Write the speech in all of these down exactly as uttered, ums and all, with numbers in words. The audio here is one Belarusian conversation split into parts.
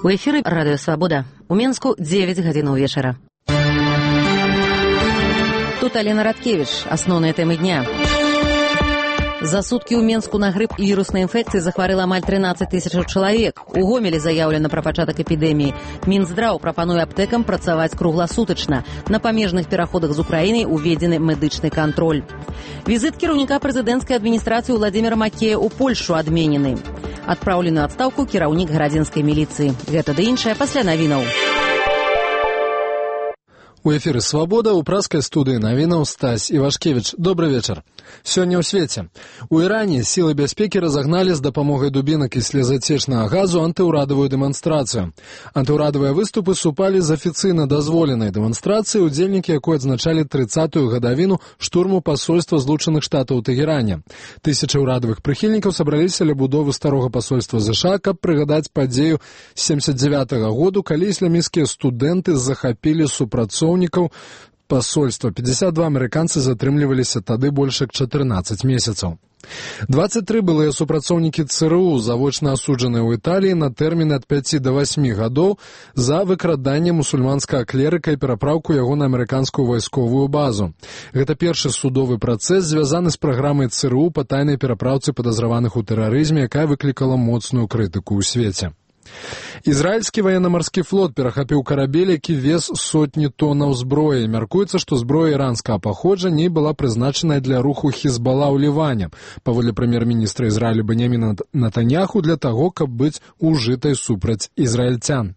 У эфіры радыё Свабода. У Менску дзевяць гадзінаў вечара. Тут Алена Радкевіч. Асноўныя тэмы дня. За суткі ў Менску на грып і віруснай інфекцыі захварэла амаль трынаццаць тысячаў чалавек. У Гомелі заяўлена пра пачатак эпідэміі. Мінздраў прапануе аптэкам працаваць кругласутачна. На памежных пераходах з Украінай уведзены медычны кантроль. Візіт кіраўніка прэзідэнцкай адміністрацыі Владзіміра Макея ў Польшу адменены. Адпраўлены ў адстаўку кіраўнік гарадзінскай міліцыі. Гэта ды іншае пасля навінаў. У эфіры «Свабода» у праскай студыі навінаў Стась Івашкевіч. Добры вечар. Сёння ў свеце. У Іране сілы бяспекі разагналі з дапамогай дубінак і слезацечнага газу антыўрадавую дэманстрацыю. Антыўрадавыя выступы супалі з афіцыйна дазволенай дэманстрацыі, удзельнікі якой адзначалі трыццатую гадавіну штурму пасольства Злучаных Штатаў у Тэгеране. Тысячы ўрадавых прыхільнікаў сабраліся ля будовы старога пасольства ЗША, каб прыгадаць падзею семдзесят дзевятага году, калі ісламісцкія студэнты захапілі супрацоўнікаў пасольства. пятьдесят два амерыканцы затрымліваліся тады больш як чатырнаццаць месяцаў. двадцать тры былыя супрацоўнікі ЦРУ завочна асуджаныя ў Італіі на тэрмін ад пяці да васьмі гадоў за выкраданне мусульманскага клерыка і перапраўку яго на амерыканскую вайсковую базу. Гэта першы судовы працэс, звязаны з праграмай ЦРУ па тайнай перапраўцы падазраваных у тэрарызме, якая выклікала моцную крытыку ў свеце. Ізраільскі ваенна-марскі флот перахапіў карабель, які вез сотні тоннаў зброі. Мяркуецца, што зброя іранскага паходжання была прызначаная для руху Хізбала ў Ліване, паводле прэм'ер-міністра Ізраілю Беньяміна Нетаньяху, для таго, каб быць ужытай супраць ізраільцян.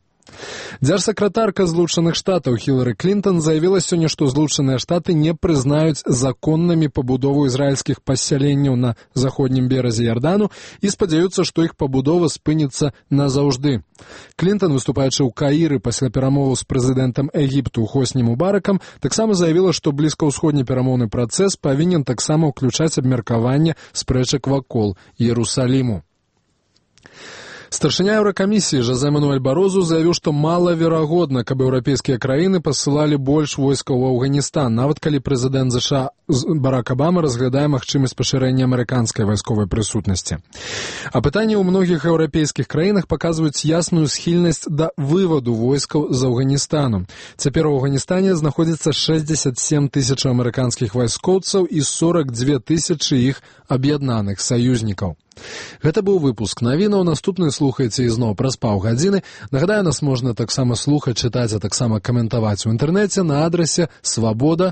Дзяржсакратарка Злучаных Штатаў Хілары Клінтон заявіла сёння, што Злучаныя Штаты не прызнаюць законнымі пабудову ізраільскіх пасяленняў на заходнім беразе Ярдану і спадзяюцца, што іх пабудова спыніцца назаўжды. Клінтон, выступаючы ў Каіры пасля перамоваў з прэзідэнтам Егіпту Хосні Мубаракам, таксама заявіла, што блізкаўсходні перамоўны працэс павінен таксама ўключаць абмеркаванне спрэчак вакол Іерусаліму. Старшыня Еўракамісіі Жозе Мануэль Барозу заявіў, што малаверагодна, каб еўрапейскія краіны пасылалі больш войскаў у Афганістан, нават калі прэзідэнт ЗША Барак Абама разглядае магчымасць пашырэння амерыканскай вайсковай прысутнасці. А пытанні ў многіх еўрапейскіх краінах паказваюць ясную схільнасць да вываду войскаў з Афганістану. Цяпер у Афганістане знаходзіцца шэсцьдзесят сем тысячаў амерыканскіх вайскоўцаў і сорок дзве тысячы іх аб'яднаных саюзнікаў. Гэта быў выпуск навінаў. Наступны слухайце ізноў праз паўгадзіны. Нагадаю, нас можна таксама слухаць, чытаць, а таксама каментаваць у інтэрнэце на адрасе свабода